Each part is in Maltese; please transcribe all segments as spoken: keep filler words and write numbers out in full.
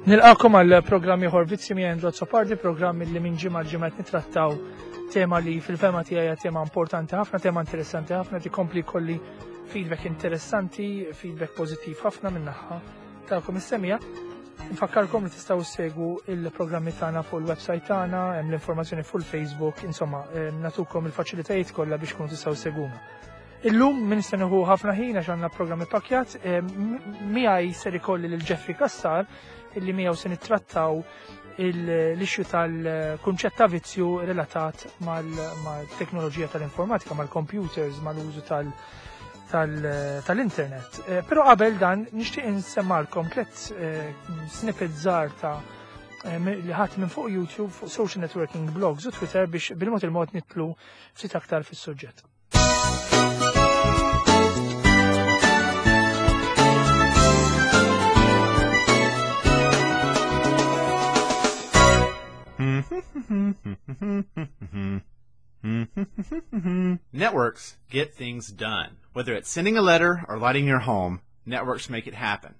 Nilqakom għal programm ieħor Vizzji minn Andrew Azzopardi, programm li minn ġimgħa ġimgħa nittrattaw tema li fil-fehma tiegħi hija tema importanti ħafna, tema interessanti ħafna, tikompli kolli feedback interessanti, feedback pożittiv ħafna min-naħa tagħkom is-semmiegħa. Nfakkarkom li tistgħu segwu il-programmi tagħna fuq il-website tagħna, hemm l-informazzjoni fuq il-Facebook, insomma, eh, natukom il-faċilitajiet kollha biex kunu tistgħu segwuna. Illum min se nieħu ħafna ħin għax għandna programmi pakjat, eh, miegħi ser ikolli lil Jeffrey Cassar illi miegħu se nittrattaw l-issue tal-kunċett ta' vizzju relatat mal-teknoloġija tal-informatika, mal-computers, mal-użu tal- tal-internet. Eh, però qabel dan nixtieq insemmalkom tliet eh, snippet żgħar ta' li ħadd minn fuq YouTube, fuq social networking blogs u Twitter biex bil-mod il-mod nidħlu ftit aktar fis-suġġett. Networks get things done. Whether it's sending a letter or lighting your home, networks make it happen.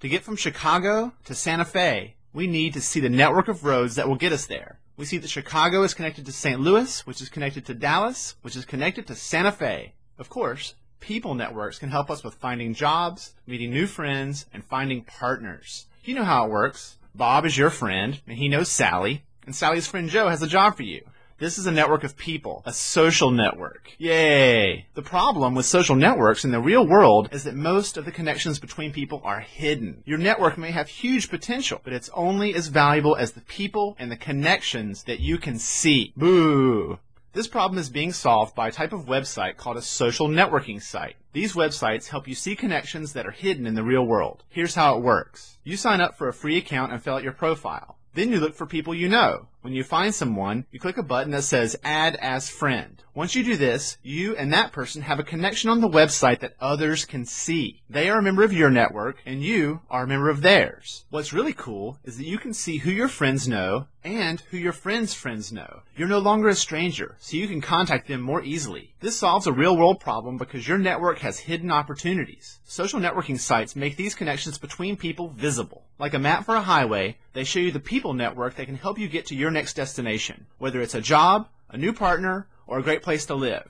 To get from Chicago to Santa Fe, we need to see the network of roads that will get us there. We see that Chicago is connected to Saint Louis, which is connected to Dallas, which is connected to Santa Fe. Of course, people networks can help us with finding jobs, meeting new friends, and finding partners. You know how it works. Bob is your friend, and he knows Sally, and Sally's friend Joe has a job for you. This is a network of people, a social network. Yay! The problem with social networks in the real world is that most of the connections between people are hidden. Your network may have huge potential, but it's only as valuable as the people and the connections that you can see. Boo! This problem is being solved by a type of website called a social networking site. These websites help you see connections that are hidden in the real world. Here's how it works. You sign up for a free account and fill out your profile. Then you look for people you know. When you find someone, you click a button that says Add as Friend. Once you do this, you and that person have a connection on the website that others can see. They are a member of your network, and you are a member of theirs. What's really cool is that you can see who your friends know and who your friends' friends know. You're no longer a stranger, so you can contact them more easily. This solves a real-world problem because your network has hidden opportunities. Social networking sites make these connections between people visible. Like a map for a highway, they show you the people network that can help you get to your next destination, whether it's a job, a new partner, or a great place to live.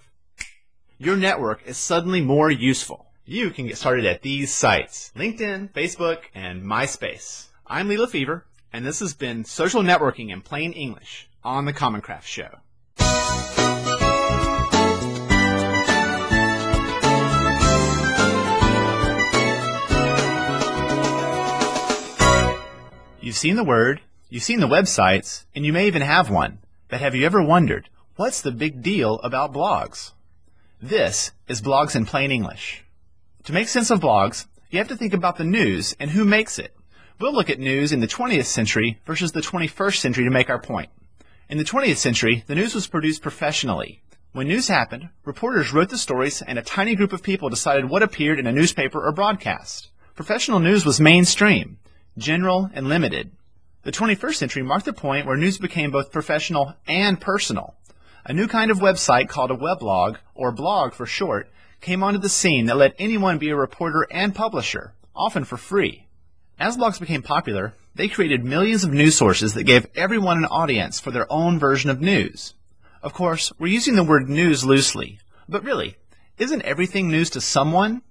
Your network is suddenly more useful. You can get started at these sites: LinkedIn, Facebook, and MySpace. I'm Lee LeFever, and this has been Social Networking in Plain English on The Common Craft Show. You've seen the word, you've seen the websites, and you may even have one. But have you ever wondered, what's the big deal about blogs? This is Blogs in Plain English. To make sense of blogs, you have to think about the news and who makes it. We'll look at news in the twentieth century versus the twenty-first century to make our point. In the twentieth century, the news was produced professionally. When news happened, reporters wrote the stories and a tiny group of people decided what appeared in a newspaper or broadcast. Professional news was mainstream, general, and limited. The twenty-first century marked the point where news became both professional and personal. A new kind of website called a weblog, or blog for short, came onto the scene that let anyone be a reporter and publisher, often for free. As blogs became popular, they created millions of news sources that gave everyone an audience for their own version of news. Of course, we're using the word news loosely, but really, isn't everything news to someone?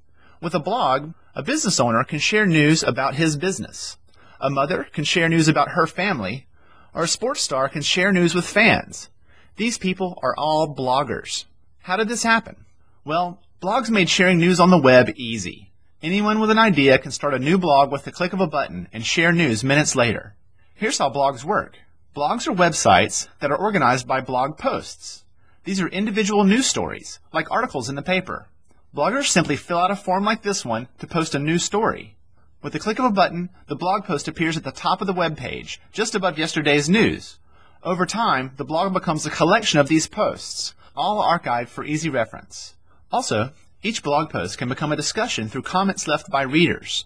With a blog, a business owner can share news about his business. A mother can share news about her family, or a sports star can share news with fans. These people are all bloggers. How did this happen? Well, blogs made sharing news on the web easy. Anyone with an idea can start a new blog with the click of a button and share news minutes later. Here's how blogs work. Blogs are websites that are organized by blog posts. These are individual news stories, like articles in the paper. Bloggers simply fill out a form like this one to post a new story. With the click of a button, the blog post appears at the top of the web page, just above yesterday's news. Over time, the blog becomes a collection of these posts, all archived for easy reference. Also, each blog post can become a discussion through comments left by readers.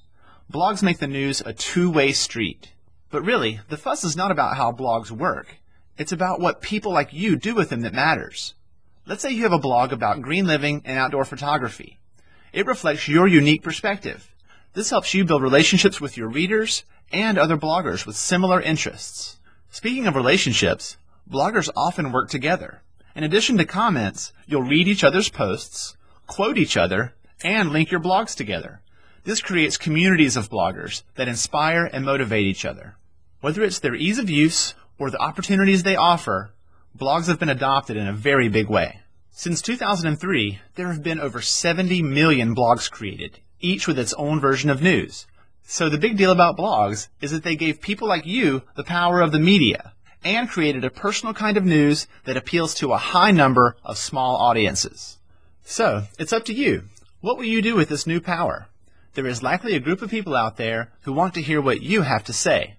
Blogs make the news a two-way street. But really, the fuss is not about how blogs work. It's about what people like you do with them that matters. Let's say you have a blog about green living and outdoor photography. It reflects your unique perspective. This helps you build relationships with your readers and other bloggers with similar interests. Speaking of relationships, bloggers often work together. In addition to comments, you'll read each other's posts, quote each other, and link your blogs together. This creates communities of bloggers that inspire and motivate each other. Whether it's their ease of use or the opportunities they offer, blogs have been adopted in a very big way. Since two thousand three, there have been over seventy million blogs created, each with its own version of news. So the big deal about blogs is that they gave people like you the power of the media and created a personal kind of news that appeals to a high number of small audiences. So it's up to you. What will you do with this new power? There is likely a group of people out there who want to hear what you have to say.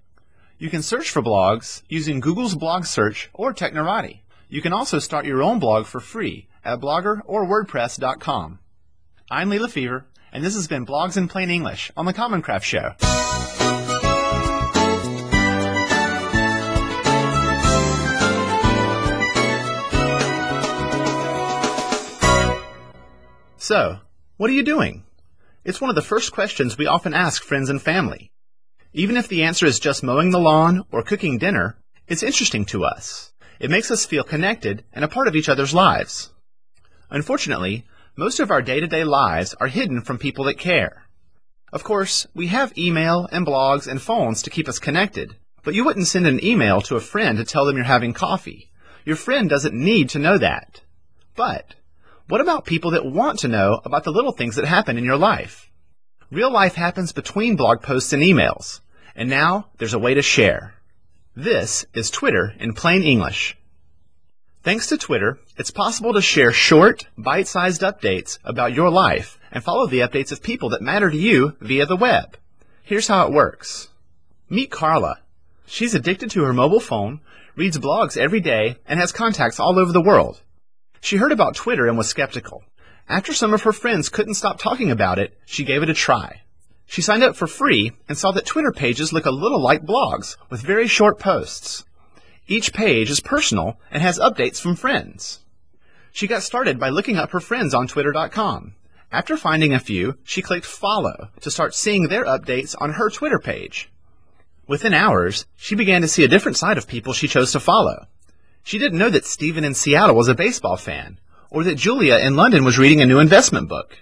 You can search for blogs using Google's blog search or Technorati. You can also start your own blog for free at blogger or wordpress dot com. I'm Lee LeFever, and this has been Blogs in Plain English on The Common Craft Show. So, what are you doing? It's one of the first questions we often ask friends and family. Even if the answer is just mowing the lawn or cooking dinner, it's interesting to us. It makes us feel connected and a part of each other's lives. Unfortunately, most of our day-to-day lives are hidden from people that care. Of course, we have email and blogs and phones to keep us connected, but you wouldn't send an email to a friend to tell them you're having coffee. Your friend doesn't need to know that. But what about people that want to know about the little things that happen in your life? Real life happens between blog posts and emails, and now there's a way to share. This is Twitter in plain English. Thanks to Twitter, it's possible to share short, bite-sized updates about your life and follow the updates of people that matter to you via the web. Here's how it works. Meet Carla. She's addicted to her mobile phone, reads blogs every day, and has contacts all over the world. She heard about Twitter and was skeptical. After some of her friends couldn't stop talking about it, she gave it a try. She signed up for free and saw that Twitter pages look a little like blogs with very short posts. Each page is personal and has updates from friends. She got started by looking up her friends on Twitter dot com. After finding a few, she clicked follow to start seeing their updates on her Twitter page. Within hours, she began to see a different side of people she chose to follow. She didn't know that Steven in Seattle was a baseball fan, or that Julia in London was reading a new investment book.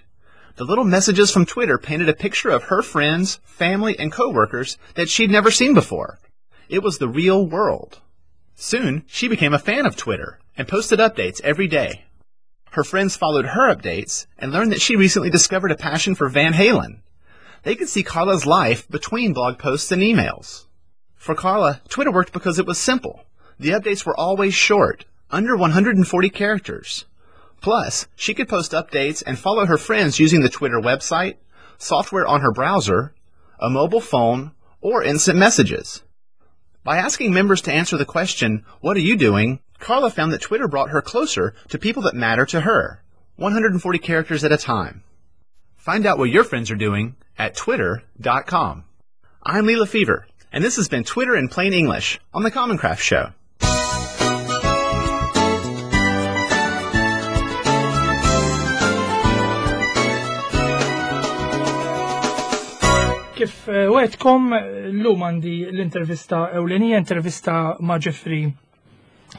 The little messages from Twitter painted a picture of her friends, family, and coworkers that she'd never seen before. It was the real world. Soon, she became a fan of Twitter and posted updates every day. Her friends followed her updates and learned that she recently discovered a passion for Van Halen. They could see Carla's life between blog posts and emails. For Carla, Twitter worked because it was simple. The updates were always short, under one hundred forty characters. Plus, she could post updates and follow her friends using the Twitter website, software on her browser, a mobile phone, or instant messages. By asking members to answer the question, "What are you doing?" Carla found that Twitter brought her closer to people that matter to her, one hundred forty characters at a time. Find out what your friends are doing at Twitter dot com. I'm Lee LeFever, and this has been Twitter in Plain English on The Common Craft Show. Kif wegħedtkom, llum għandi l-intervista ewlenija, intervista ma' Jeffrey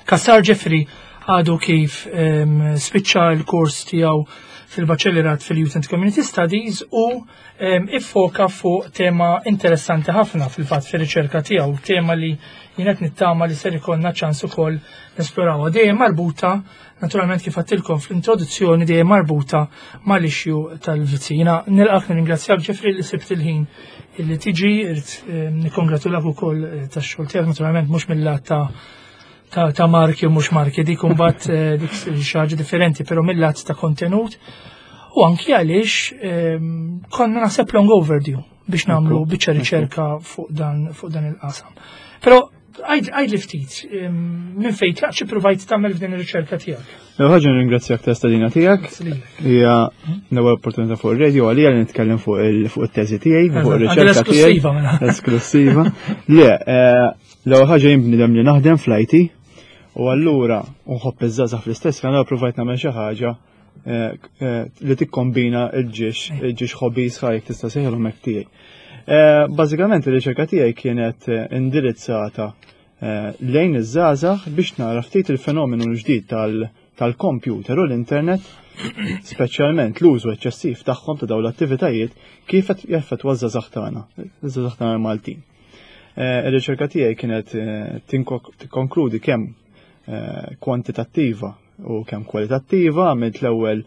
Cassar. Jeffrey għadu kif um, spiċċa l-kors tiegħu fil-Baċellerat fil-Youth and Community Studies u um, iffoka fuq tema interessanti ħafna fil-fatt fir-riċerka tiegħu, tema li jien qed nittama li ser ikollna ċans ukoll nesplorawha. Dejjem marbuta, naturalment kif għedtilkom fl-introduzzjoni, dejjem marbuta mal-issue tal-vizzi. Jiena nilqak, nirringrazzjak Jeffrey li sibt il-ħin illi tiġi, irid nikkongratulak ukoll tax-xogħol tiegħek, naturalment mhux mill-lat ta' ta', ta' marki u mhux marki, dik imbagħad dik xi ħaġa differenti, però mill-lat ta' kontenut u anki għaliex konna naħseb long overdue biex nagħmlu biċċa riċerka fuq dan fuq dan il-qasam. Però għajd li ftit, minn fejn tlaqt, xi provajt tagħmel f'din ir-riċerka tiegħek? L-ewwel ħaġa nirringrazzjak ta' stedina tiegħek. Hija l-ewwel opportunità fuq ir-radio għalija li nitkellem fuq it-teżi tiegħi, fuq ir-riċerka tiegħi. Esklusiva. Le, l-ewwel ħaġa jien bniedem li naħdem fl-I T u allura nħobb iż-żgħażagħ fl-istess ħin, allura provajt nagħmel xi ħaġa li tikkombina l-ġiex, il-ġiex hobbies ħajk tista' sejħilhom hekk tiegħi. Eh, bażikament ir-riċerka tiegħi kienet eh, indirizzata eh, lejn iż-żgħażagħ biex nara ftit il-fenomenu l-ġdid tal-computer u l-internet, speċjalment l-użu eċċessiv tagħhom ta' dawn l-attivitajiet kif qed jaffettwa ż-żgħażagħ tagħna, iż-żgħażagħ tagħna Maltin. Ir-riċerka tiegħi kienet tikkonkludi kemm kwantitattiva u kemm kwalitattiva. Għamilt l-ewwel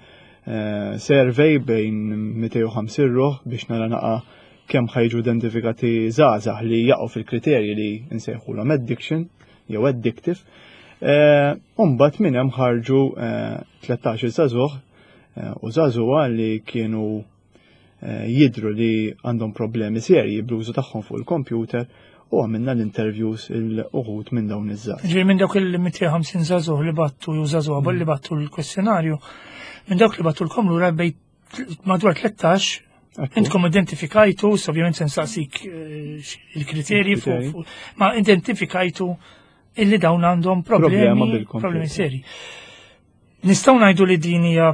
survey bejn mitejn u ħamsin ruħ biex nara naqa' kemm ħa jiġu identifikati żgħażagħ li jaqgħu fil-kriterji li nsejħulhom addiction jew addictive. Umbagħad minn hemm ħarġu tlettax-il żagħżugħ u żagħżugħa li kienu jidru li għandhom problemi serji bl-użu tagħhom fuq il-computer u għamilna l-interviews il-uħud minn dawn iż-żgħażagħ. Ġifieri minn dawk il-mitejn u ħamsin żagħżugħ li bagħtu jew żagħżugħa li bagħtu l-kwestjonarju, minn dawk li bagħtulkom lura bejn madwar tlettax intkom identifikajtu, ovvjament se nsaqsik il-kriterji fuq, ma identifikajtu illi dawn għandhom problemi, problemi seri. Nistgħu ngħidu li din hija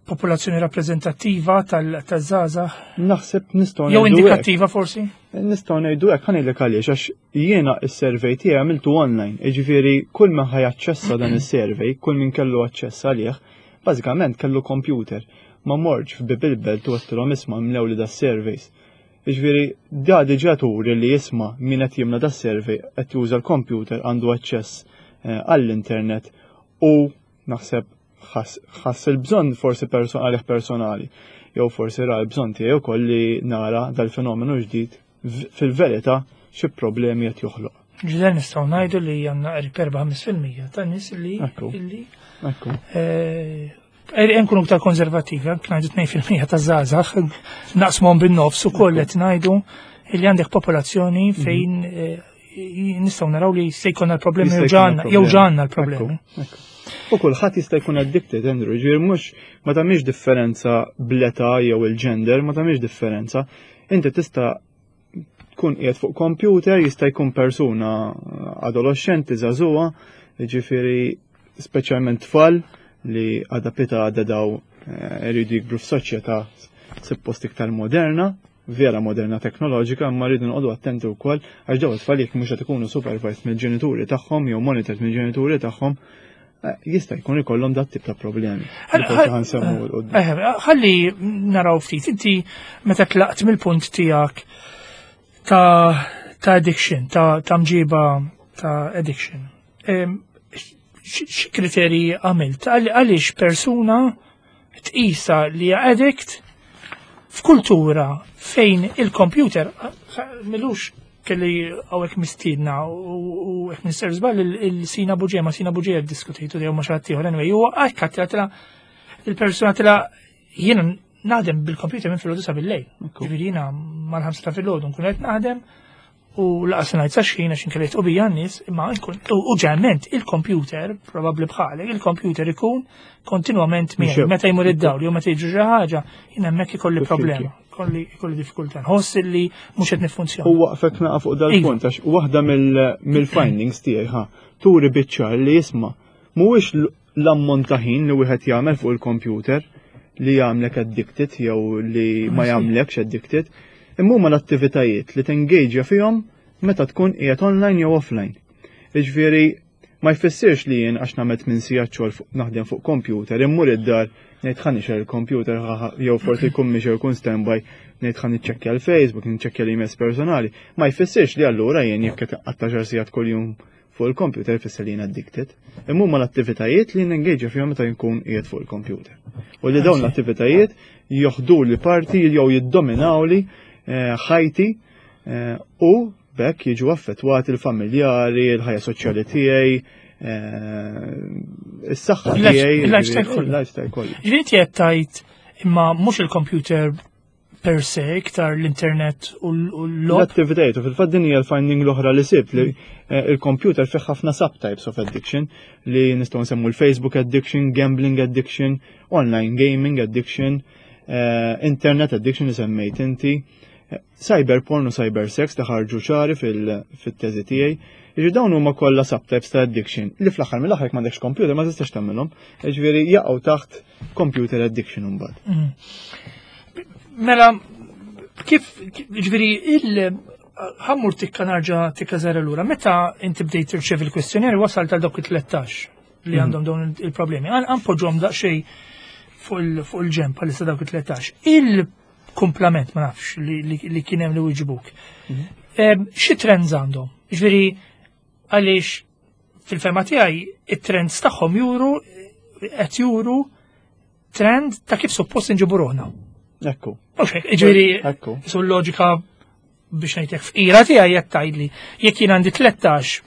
popolazzjoni rappreżentattiva tal-żgħażagħ? Naħseb nistgħu Jew indikattiva forsi? Nistgħu ngħidu hekk, ħa ngħidlek għaliex, għax jiena is-survey tiegħi għamiltu online, jiġifieri kull min ħa jaċċessa dan is-survey, kull min kellu aċċess għalih, bażikament kellu computer. Ma mortx f'bieb il-belt u għedtilhom, "Isma', imlewli da surveys." Jiġifieri da diġà turi li, isma', min qed jimla da survey qed juża l-computer, għandu aċċess eh, għall-internet u naħseb ħass il-bżonn forsi għalih personali jew forsi ra l-bżonn tiegħi wkoll li nara dal-fenomenu ġdid fil-verità xi problemi qed joħloq. Ġifieri nistgħu ngħidu li għandna qrib erbgħa fil-mija ta' nies li illi eh, nkunu iktar konservativi, anke ngħidu tnejn fil-mija ta' żgħażagħ, naqsmuhom bin-nofs ukoll qed ngħidu illi għandek popolazzjoni mhm. fejn eh, nistgħu naraw li se jkollna l-problemi jew ġanna l-problemi. U kulħadd jista' jkun addicted, Andrew, ġifieri mhux ma tagħmilx differenza bl-età jew il-gender, ma tagħmilx differenza. Inti tista' tkun qiegħed fuq computer, jista' jkun persuna adolescenti, żagħżugħa, jiġifieri speċjalment tfal li għada pitgħada daw eh, iridu jikbru f'soċjetà suppost iktar moderna, vera moderna teknoloġika, imma rridu noqogħdu attenti wkoll għax daw it-tfal jekk mhux qed ikunu supervised mill-ġenituri tagħhom jew monitored mill-ġenituri tagħhom, eh, jista' jkun ikollhom dat tip ta' problemi. Eh, ħalli naraw ftit, inti meta tlaqt mill-punt tiegħek ta' ta' addiction, ta' ta' mġiba ta' addiction. Xi kriterji għamilt? Għaliex persuna tqisa li addict f'kultura fejn il-computer milux kelli hawnhekk mistiedna u hekk mister żball il-Sina Buġe, ma Sina Buġe diskutejtu jew ma xi ħadd ieħor, anyway, huwa hekk għatla il-persuna tila jiena naħdem bil-computer minn filgħodu sa bil-lejl. Ġifieri jiena mal-ħamsa ta' filgħodu nkun qed naħdem u laqas ngħid sa xħin għax inkella u bija n-nies, imma nkun u ġeneralment il-computer, probabbli bħalek, il-computer ikun kontinwament miegħi. Meta jmur id-dawl jew meta jiġri xi ħaġa, jien hemmhekk ikolli problema, kolli ikolli diffikultà. Nħoss li mhux qed niffunzjona. U waqfek naqa fuq dal-punt għax waħda mill-findings tiegħi ħa turi biċ-ċar li, isma', mhuwiex l-ammont ta' ħin li wieħed jagħmel fuq il-computer li jagħmlek addicted jew li ma jagħmlekx addicted, imma huma l-attivitajiet li tengaġja fihom meta tkun qiegħed online jew offline. Jiġifieri ma jfissirx li jien għax nagħmel minn sigħat xogħol naħdem fuq computer, immur id-dar ngħid ħa nixgħel il-computer jew forsi jkun mhix jkun standby, ngħid ħa niċċekkja l-Facebook, niċċekkja l-emails personali. Ma jfissirx li allura jien jekk qed għaxar sigħat kuljum fuq il-computer jfisser li jien addicted. Imma huma l-attivitajiet li nengaġa fihom meta jkun qiegħed fuq il-computer. U li dawn l-attivitajiet joħdu li parti jew jiddominaw li eh, ħajti eh, u b'hekk jiġu affettwati l-familjari, il-ħajja soċjali tiegħi, eh, is-saħħa tiegħi, il-lifestyle kollu. Il-lifestyle kollu. Ġifieri qed tgħid imma mhux il-computer per se, iktar l-internet u l-logħob. L-attivitajiet, u fil-fatt din hija l-finding l-oħra li sibt li eh, il-computer fih ħafna subtypes of addiction li nistgħu nsemmu l-Facebook addiction, gambling addiction, online gaming addiction, eh, internet addiction li semmejt inti, eh, cyber porn u cyber sex ta' ħarġu ċari fil-teżi tiegħi. Jiġi dawn huma kollha subtypes ta' addiction li fl-aħħar mill-aħħar m'għandekx computer ma tistax tagħmilhom. Jiġifieri jaqgħu taħt computer addiction imbagħad. Mm. Mela, Kif, ġifieri, il ħa mmur tikka nerġa' tikka żgħira lura, meta inti bdejt tirċevi l-kwestjonari wasal tal dawk it-tlettax li għandhom dawn il-problemi. Ħa npoġġuhom daqsxejn fuq il-ġenb bħalissa dawk it-tlettax. Il-kumplament, ma nafx, li kien hemm li wieġbuk. Xi trends għandhom? Ġifieri, għaliex fil-fehma tiegħi it-trends tagħhom juru qed juru trend ta' kif suppost inġibu ruħna. Ekku. Mhux hekk, ġifieri, Ekku. su l-loġika biex ngħidlek fqira tiegħi qed tgħidli jekk jien għandi tlettax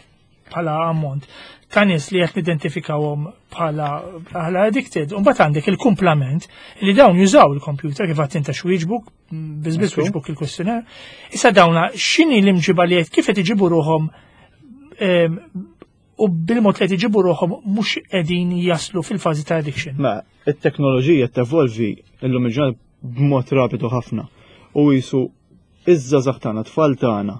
bħala ammont ta' nies li qed nidentifikawhom bħala bħala addicted, u mbagħad għandek il-kumplament li dawn jużaw il-computer kif għedt inta x'wieġbuk, biss biss Ekku. wieġbuk il-questionnaire. Issa dawna x'inhi l-imġiba li qed kif qed iġibu ruħhom em, u bil-mod li qed iġibu ruħhom mhux qegħdin jaslu fil-fażi ta' addiction. Ma, it-teknoloġija tevolvi illum il-ġurnata b'mod rapidu ħafna. U jisu iż-żgħażagħ tagħna, tfal tagħna,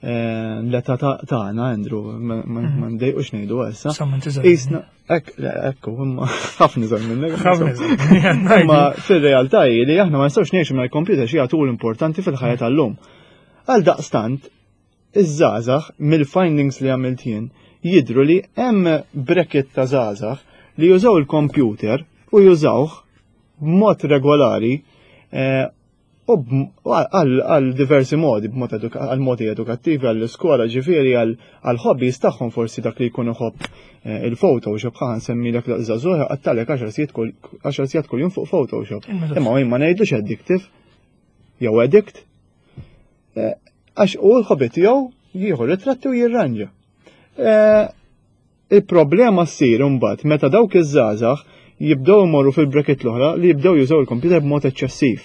eh, l-età ta- tagħna, Andrew, ma ma- ma ndejqux ngħidu issa. Sa ma tiżgħar. Isna, ek, le, ekku, imma ħafna żgħar minnek. Ħafna żgħar. Imma fil-realtà hi li aħna ma nistgħux ngħixu mingħajr computer xi tool importanti fil-ħajja tal-lum. Għal daqstant, iż-żgħażagħ mill-findings li għamilt jien jidru li hemm bracket ta' żgħażagħ li jużaw il-computer u jużawh b'mod regolari eh, u b'm- għal għal diversi modi, b'mod eduka- għal modi edukattivi, għall iskola ġifieri, għal għal hobbies tagħhom forsi dak li jkun iħobb eh, il-Photoshop, ħa nsemmi dak żagħżugħ għattalek għaxar sigħat kull għaxar sigħat kuljum fuq Photoshop. Imma jien ma ngħidlux addictive jew addict. Eh, Għax u l-hobby tiegħu jieħu ritratti u jirranġa. Eh, Il-problema ssir imbagħad meta dawk iż-żgħażagħ jibdew imorru fil-bracket l-oħra li jibdew jużaw il-computer b'mod eċċessiv.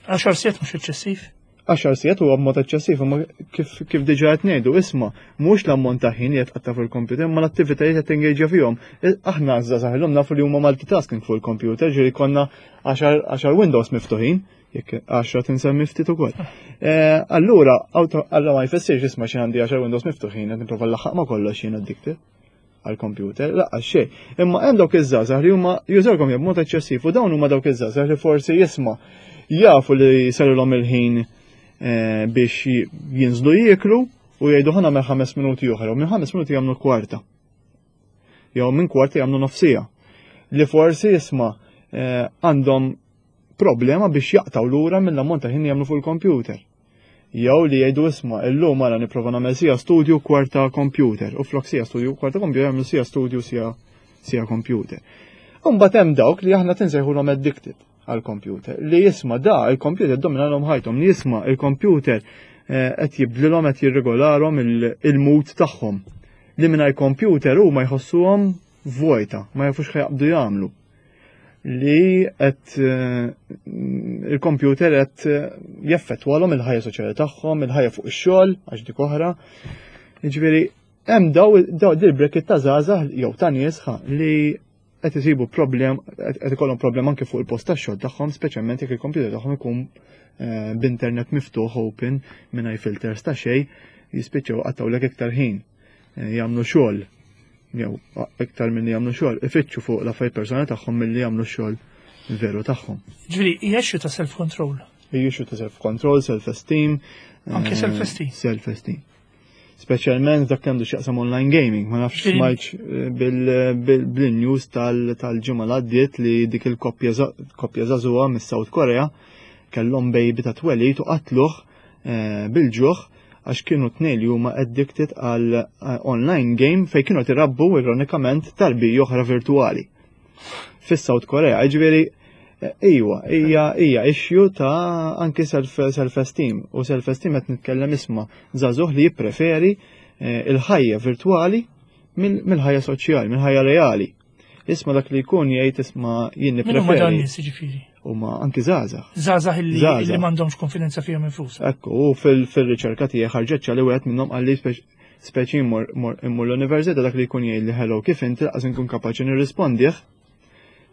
Għaxar sigħat mhux eċċessiv. Għaxar sigħat huwa b'mod eċċessiv, imma kif kif diġà qed ngħidu, isma' mhux l-ammont ta' ħin li qed tqatta' fuq il-computer, imma l-attivitajiet qed tingaġġja fihom. I- Aħna żgħażagħ illum nafu li huma multitasking fuq il-computer, ġieli konna għaxar għaxar Windows miftuħin, jekk għaxra tinsemmi ftit ukoll. Eh, Allura, auto- allura ma jfissirx isma' xi għandi għaxar Windows miftuħin qed nipprova nlaħħaq ma' kollox jien addicted għal-computer, laqqa xejn. Imma hemm dawk iż-żgħażagħ li huma jużawhom b'mod eċċessiv u dawn huma dawk iż-żgħażagħ li forsi jisma' jafu li sarilhom il-ħin eh, biex jinżlu jieklu u jgħidu ħa nagħmel ħames minuti oħra u minn ħames minuti jagħmlu kwarta. Jew minn kwarta jagħmlu nofs siegħa. Li forsi jisma' eh, għandhom problema biex jaqtaw lura mill-ammont ta' ħin jagħmlu fuq il-computer. Jew li jgħidu isma' illum mara nipprova nagħmel siegħa studju kwarta computer u flok siegħa studju kwarta computer jagħmlu siegħa studju siegħa siegħa computer. Imbagħad hemm dawk li aħna tinsejħulhom addicted għal-computer li jisma' da il-computer dominalhom ħajthom li jisma' il-computer eh, qed jibdlilhom qed jirregolarhom il-mood tagħhom. Li mingħajr computer huma jħossuhom vojta, ma jafux x'ħa jaqbdu jagħmlu li qed eh, il-computer qed eh, jeffettwalhom il-ħajja soċjali tagħhom, il-ħajja fuq ix-xogħol għax dik oħra. Jiġifieri hemm daw daw dil-bracket ta' żgħażagħ jew ta' nies li qed isibu problem qed ikollhom problem anke fuq il-post tax-xogħol tagħhom, speċjalment jekk il-computer tagħhom ikun eh, b'internet miftuħ open mingħajr filters ta' xejn, jispiċċaw qattawlek iktar ħin jagħmlu xogħol jew iktar minn jagħmlu xogħol, ifittxu fuq l-affarijiet personali tagħhom milli jagħmlu xogħol veru tagħhom. Ġifieri, hija issue ta' self-control. Hija issue ta' self-control, self-esteem. Anke eh, self-esteem. Self-esteem. Speċjalment dak għandu x'jaqsam online gaming, ma nafx smajtx eh, bil-news tal-ġimgħa l għaddiet li dik il-koppja żagħżugħa mis-South Korea kellhom baby ta' twelid u qatluh eh, bil-ġuħ għax kienu tnejn li huma addicted għal eh, online game fej kienu tirabbu ironikament tarbija oħra virtuali. Fis-South Korea, ġifieri eh, Iwa, hija hija issue ta' anki self-esteem u self-esteem qed nitkellem isma' żagħżugħ li jippreferi eh, il-ħajja virtuali mill-ħajja soċjali, mill-ħajja reali. Isma' dak li jkun jgħid isma' jien Min huma dawn nippreferi nies jiġifieri? huma anki żgħażagħ. Żgħażagħ illi Żgħażagħ. illi m'għandhomx konfidenza fihom infushom. Ekku, u fil-riċerka tiegħi ħarġet li wieħed minnhom qalli speċi immur immur l-università dak li jkun jgħid li hello kif inti laqas inkun kapaċi nirrispondih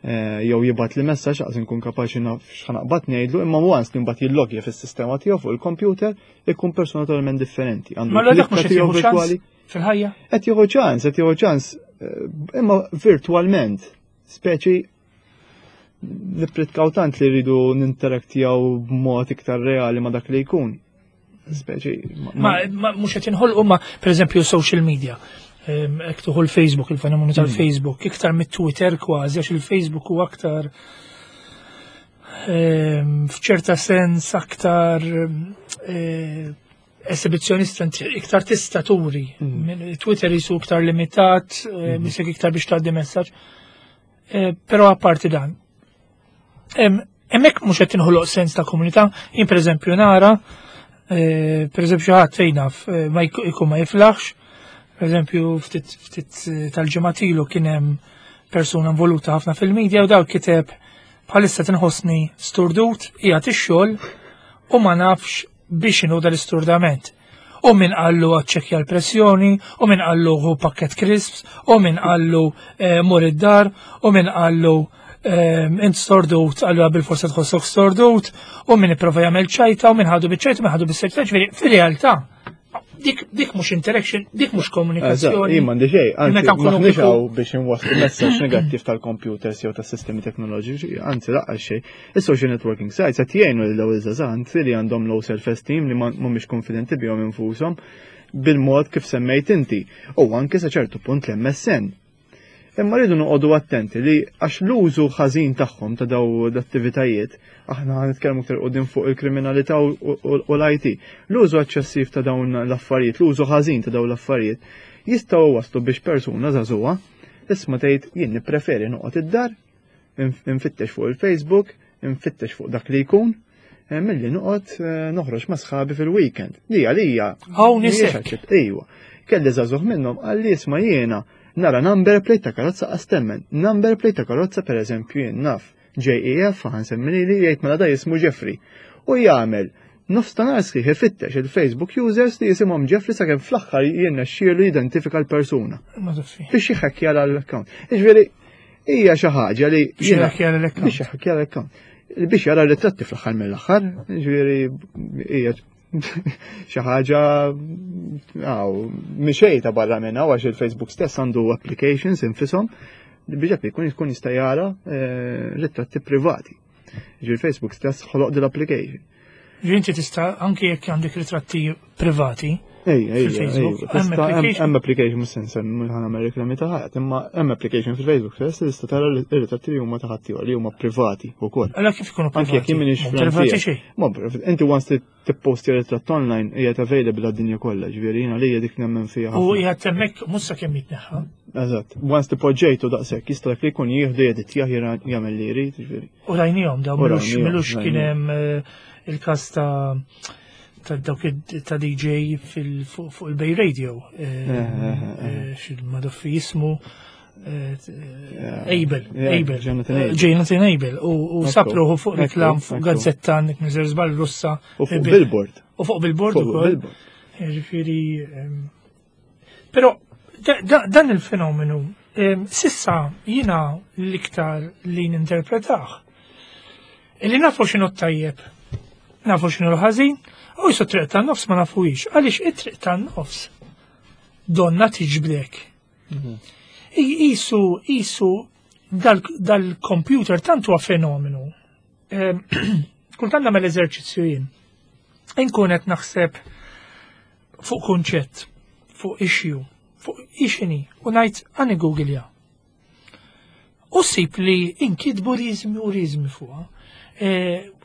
eh, jew jibgħat li messaġġ laqas inkun kapaċi naf x'ħa naqbad ngħidlu imma once li mbagħad jillogja fis-sistema tiegħu fuq il-computer ikun persona totalment differenti. Għandu Ma l dak mhux l-klikka qed tiegħu jieħu ċans virtuali. fil-ħajja? Qed jieħu ċans, qed jieħu ċans, eh, imma virtualment, speċi Nippritkaw tant li rridu ninteraktjaw b'mod iktar reali ma' dak li jkun. Speċi. Ma mhux qed inħolqu ma pereżempju social media. Jekk tieħu l-Facebook, il-fenomenu mm. tal-Facebook, iktar mit-Twitter kważi, għax il-Facebook u aktar f'ċerta sens aktar eh, esibizzjonista, iktar tista' turi. Mm. Twitter jisu iktar limitat, eh, mm. misek iktar biex tgħaddi messaġġ. Eh, però apparti dan, hemmhekk mhux qed tinħoloq sens ta' komunità, jien pereżempju nara, eh, pereżempju ħadd fejn naf eh, ma jkun ma jiflaħx, pereżempju ftit ftit eh, tal-ġimgħat ilu kien hemm persuna involuta ħafna fil-medja u daw kiteb bħalissa tinħossni sturdut, qiegħed ix-xogħol u ma nafx biex inhu dal-isturdament. U min qallu għaċċekja l-pressjoni, u min qallu ħu pakket crisps, u min qallu mur id-dar, u min qallu int stordut, allura bil-forsa tħossok stordut, u min ipprova jagħmel ċajta, u min ħadu biċ-ċajta, u min ħadu bis-serjetà, ġifieri fir-realtà dik dik mhux interaction, dik mhux komunikazzjoni. Jien m'għandi xejn, anzi m'aħniex hawn biex inwasslu messaġġ negattiv tal-computers jew tas-sistemi teknoloġiċi, anzi lanqas xejn. Is-social networking sites qed jgħinu lil dawn iż-żgħażagħ li għandhom low self-esteem, li mhumiex konfidenti bihom infushom bil-mod kif semmejt inti. U anke sa ċertu punt l-M S N. Imma rridu noqogħdu attenti li għax l-użu ħażin tagħhom ta' daw l-attivitajiet, aħna nitkellmu aktar quddiem fuq il-kriminalità u l-I T. L-użu eċċessiv ta' dawn l-affarijiet, l-użu ħażin ta' dawn l-affarijiet, jistgħu waslu biex persuna żagħżugħa isma' tgħid jien nippreferi noqgħod id-dar, infittex fuq il-Facebook, infittex fuq dak li jkun, eh, milli noqgħod eh, noħroġ ma' sħabi fil-weekend. Li għalija. Hawn nisek. Ejwa. Kelli żagħżugħ minnhom qalli, isma', jiena nara number plate ta' karozza għastemmen. Number plate ta' karozza, per eżempju, jien naf J E F, ħa nsemmi li jgħid, mela da jismu Jeffrey. U jagħmel nofs ta' nhar sħiħ ifittex il-Facebook users li jisimhom Jeffrey sakemm fl-aħħar jirnexxielu jidentifika l-persuna. Biex jiħekkja l-account. Jiġifieri hija xi ħaġa li Biex jiħekkja l-account. Biex jiħekkja l-account. Biex jara ritratti fl-aħħar mill-aħħar, jiġifieri hija xi ħaġa għaw mixej ta' barra minna għax il-Facebook stess għandu applications infisom biex jekk jkun jkun jista' jara eh, ritratti privati. Ġifieri Facebook stess ħoloq din l-application. Ġifieri inti tista' anke jekk għandek ritratti privati Ej, ej, fil-Facebook, ej, hemm tista' application? Hemm application, mhux se nsemmi, ħa nagħmel reklami ta' ħadd, imma hemm application fil-Facebook stess li tista' tara r-ritratti li huma ta' ħaddieħor li huma privati wkoll. Allora kif ikunu Anke jekk privati? jien m'iniex Mhum privati friend xejn. Ma inti once li tipposti ritratt online hija available għad-dinja kollha, ġifieri jiena li dik nemmen fiha U ħafna. qiegħed hemmhekk mhux sakemm jitneħħa. Eżatt, once tipoġġejtu daqshekk jista' dak li jkun jieħdu jeditjah jagħmel li jrid, ġifieri. U rajnihom daw U milux rajnihom, milux kien rajnihom. hemm eh, il-każ ta' ta' dawk id- ta' D J fil- fuq fuq il-Bay Radio. Eh, eh, eh. eh, Xil-madoffi jismu eh, Abel, Yeah, Abel, Jonathan Abel. Jonathan Abel. U u Ekku, sapruħu fuq ekku, reklam fuq ekku. gazzetta għandek Miżer Żball Russa. U fuq Eh, billboard. U fuq billboard Fuq ukoll. billboard. Ġifieri, ehm, però da- da- dan il-fenomenu ehm, sissa jina l-iktar li ninterpretah. Illi nafu x'inhu tajjeb, nafu x'inhu l-ħażin, u jisu triq tan-nofs ma nafuhiex. Għaliex it-triq tan-nofs donna tiġbdek. I- Isu, isu dal- dal-computer tant huwa fenomenu. Ehm, Kultant nagħmel eżerċizzju jien. Inkun qed naħseb fuq kunċett, fuq issue, fuq ixini, u ngħid ħa niggooglja. U ssib li inkitbu riżmi u riżmi fuqha. E,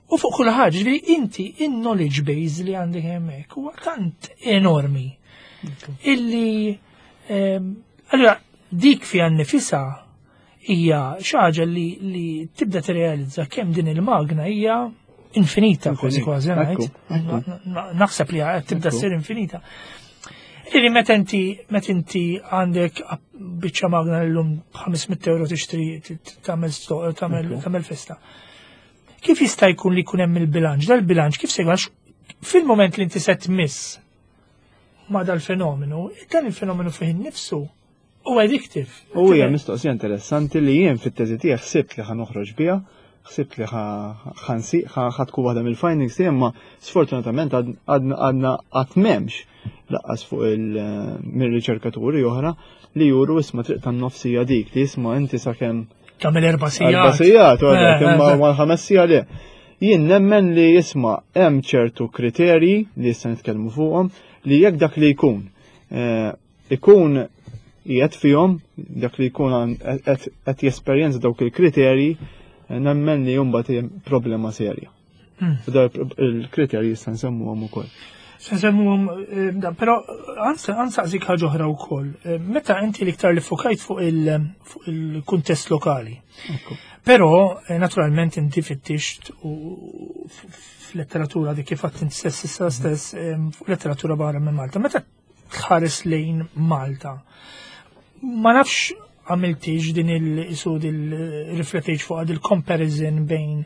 u fuq kull ħaġa, ġifieri inti in-knowledge base li għandek hemmhekk huwa tant enormi illi ehm, allura dik fiha nnifisha hija xi ħaġa li, li tibda tirrealizza kemm din il-magna hija infinita kważi kważi Ekku, ngħid. Ekku. Na- na- Naħseb li qed tibda Ekku. ssir infinita. Iri meta inti meta inti għandek biċċa magna llum ħames mitt euro tixtri t- t- tagħmel sto- tagħmel Ekku. tagħmel festa. Kif jista' jkun li jkun hemm il-bilanċ? Dal-bilanċ kif se jkun? Għax fil-moment li inti se tmiss ma dal-fenomenu, dan il-fenomenu fih innifsu u addictive. U hija mistoqsija interessanti li jien fit-teżi tiegħek ħsibt li ħa noħroġ biha, ħsibt li ħansi ħa tkun waħda mill-findings tiegħi, imma sfortunatament għadna għadna qatt m'hemmx lanqas fuq il mir-riċerkaturi oħra li juru isma' triq tan-nofsija dik li isma' inti sakemm Tagħmel erba' sigħat. Erba' sigħat, imma mal-ħames siegħa le. Jien nemmen li isma' hemm ċertu kriterji li issa nitkellmu fuqhom li jekk dak li jkun ikun qiegħed fihom, dak li jkun qed jesperjenza dawk il-kriterji, nemmen li mbagħad problema serja. U il-kriterji issa nsemmuhom ukoll. Se nsemmuhom, però ansaqsik ħaġa oħra wkoll. Meta inti l-iktar li fokajt fuq il-kuntest lokali. Però naturalment inti fittixt u f'letteratura dik kif għedt inti stess issa stess fuq letteratura barra minn Malta. Meta tħares lejn Malta, ma nafx għamiltix din il-isu il-riflettejx fuq il-comparison bejn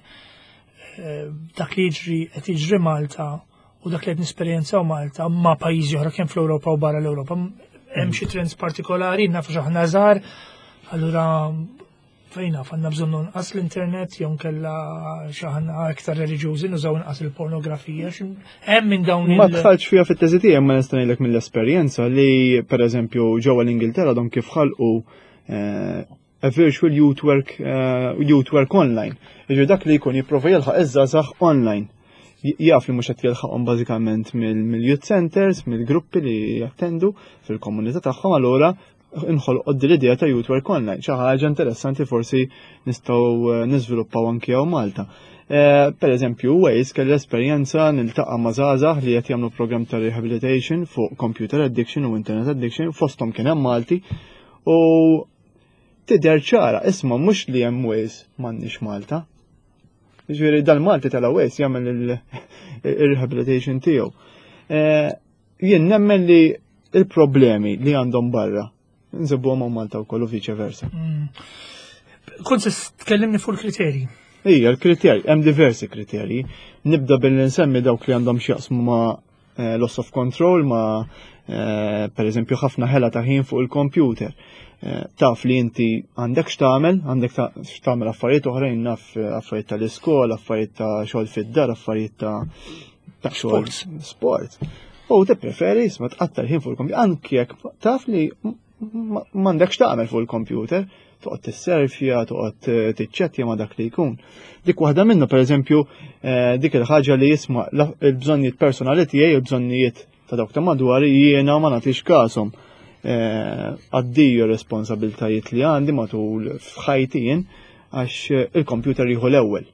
dak li jiġri qed jiġri Malta u dak li qed nesperjenzaw Malta ma' pajjiżi oħra kemm fl-Ewropa u barra l-Ewropa. Hemm xi trends partikolari, nafu aħna żgħar, allura fejn naf għandna bżonn nqas l-internet jew nkella xi aħna aktar reliġjużi nużaw inqas il-pornografija. Hemm minn dawn Ma dħaltx fiha fit-teżi tiegħi, ma nista' ngħidlek mill-esperjenza li pereżempju ġewwa l-Ingilterra dom kif ħalqu a virtual youth work, uh, youth work online. Jiġifieri dak li jkun jipprova jilħaq iż-żgħażagħ online. Jaf li mhux qed jilħaqhom bażikament mill-youth centers, mill-gruppi li jattendu fil-komunità tagħhom, allura inħolqod din l-idea ta' youth work online. Xi ħaġa interessanti forsi nistgħu niżviluppaw anki hawn Malta. Per eżempju, Wales kelli esperjenza niltaqa' ma' żgħażagħ li qed jagħmlu program ta' rehabilitation fuq computer addiction u internet addiction, fosthom kien hemm Malti, u tidher ċara, isma' mhux li hemm Wales m'għandniex Malta. Ġifieri dal-Malti tal-Wales jagħmel il-rehabilitation tiegħu. Jien nemmen li il-problemi li għandhom barra nsibuhom Malta wkoll u vice versa. Kont se tkellimni fuq il-kriterji. Ija, l-kriterji, hemm diversi kriterji. Nibda billi nsemmi dawk li għandhom x'jaqsmu ma' loss of control, ma' per eżempju ħafna ħela ta' ħin fuq il-computer. Taf li inti għandek x'tagħmel, għandek x'tagħmel affarijiet oħrajn, naf affarijiet tal-iskola, affarijiet ta' xogħol fid-dar, affarijiet ta' ta' xogħol sport. U tippreferi isma' tqatta' ħin fuq il-computer, anki jekk taf li m'għandekx tagħmel fuq il-computer, toqgħod tisserfja, toqgħod tiċċettja ma' dak li jkun. Dik waħda minnu pereżempju dik il-ħaġa li jisma' il-bżonnijiet personali tiegħi, il-bżonnijiet ta' dawk ta' madwari jiena ma nagħtix kashom. Addio responsabiltajiet li għandi matul f'ħajti jien għax il-computer jieħu l-ewwel.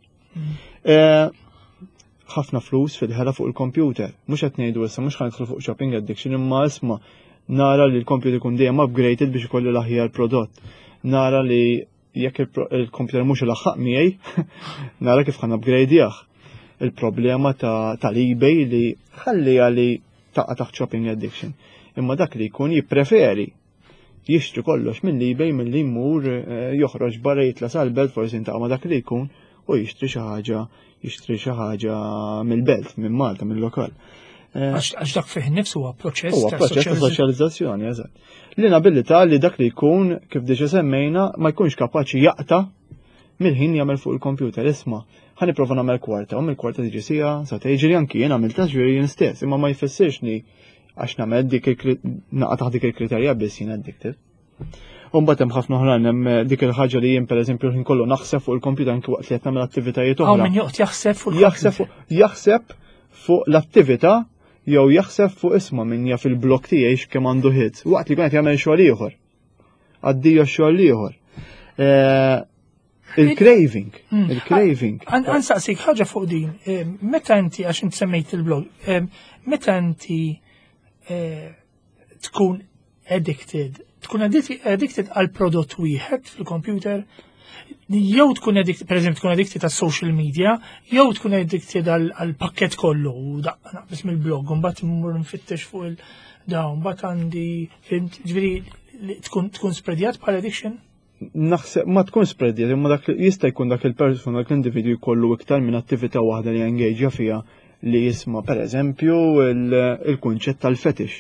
Ħafna flus fil-ħela fuq il-computer. Mhux qed ngħidu issa mhux ħa nidħlu fuq shopping addiction, imma isma' nara li l-computer ikun dejjem upgraded biex ikolli l-aħjar prodott. Nara li jekk il-computer mhux ilaħħaq miegħi, nara kif ħa upgrade Il-problema tal-eBay li ħalli li taqa' taħt shopping addiction. Imma dak li jkun jippreferi jixtri kollox minn eBay milli jmur joħroġ barra jitla' sal-belt forsi jiltaqa' ma' dak li jkun u jixtri xi ħaġa jixtri xi ħaġa mill-belt, minn Malta, mill-lokal. Għax dak fih nifsu huwa proċess Huwa proċess ta' soċjalizzazzjoni, eżatt. L-inabilità li dak li jkun, kif diġà semmejna, ma jkunx kapaċi jaqta' mill-ħin jagħmel fuq il-computer. Isma' ħa nipprova nagħmel kwarta, u mill-kwarta tiġi siegħa, sa tiġri anki jien għamilta ġifieri jien stess, imma ma jfissirx li għax nagħmel dik naqa' taħt dik il-kriterja biss jien addicted. U mbagħad hemm ħafna oħrajn, hemm dik il-ħaġa li jien pereżempju l-ħin kollu naħseb fuq il-computer anki waqt li qed nagħmel attivitajiet oħra. Hawn min joqgħod jaħseb fuq jaħseb jaħseb fuq l-attività jew jaħseb fuq isma' min jaf il-blog tiegħi x'kemm għandu hits waqt li jkun qed jagħmel xogħol ieħor. Addio xogħol ieħor. Il-craving, il-craving. Ansaqsik ħaġa fuq din, meta inti għax inti semmejt il-blog, meta inti tkun addicted, tkun addicted għal prodott wieħed fil-computer, jew tkun addicted, per eżempju, tkun addicted għal social media, jew tkun addicted għal pakket kollu, u daqqa naqbis mill-blog, u mbagħad immur nfittex fuq il-dawn, mbagħad għandi, fimt, ġifieri tkun tkun spreadjat bħal addiction? Naħseb ma tkun spreadjat, imma dak jista' jkun dak il-persuna, dak l-individwu jkollu iktar minn attività waħda li jengaġa fiha li jisma' pereżempju il-kunċett tal-fetish.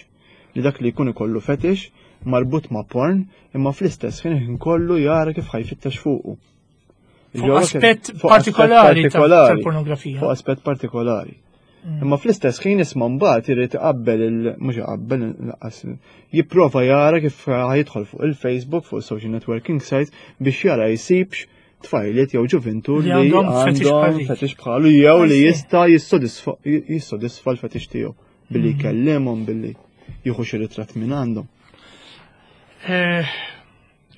Li dak li jkun ikollu fetish marbut ma' porn, imma fl-istess ħin kollu jara kif ħajfittex fuqu. Fuq aspett partikolari tal-pornografija. Fuq aspett partikolari. Imma fl-istess ħin isma' mbagħad irid iqabbel il mhux iqabbel lanqas jipprova jara kif ħa jidħol fuq il-Facebook, fuq social networking sites biex jara jsibx tfajliet jew ġuvintur Li li għandhom fetish għandhom bħal dik. fetish bħalu jew li I see. jista' jissodisfa jissodisfa l-fetish tiegħu billi Mm. jkellimhom billi jieħu xi ritratt minn għandhom. Eh,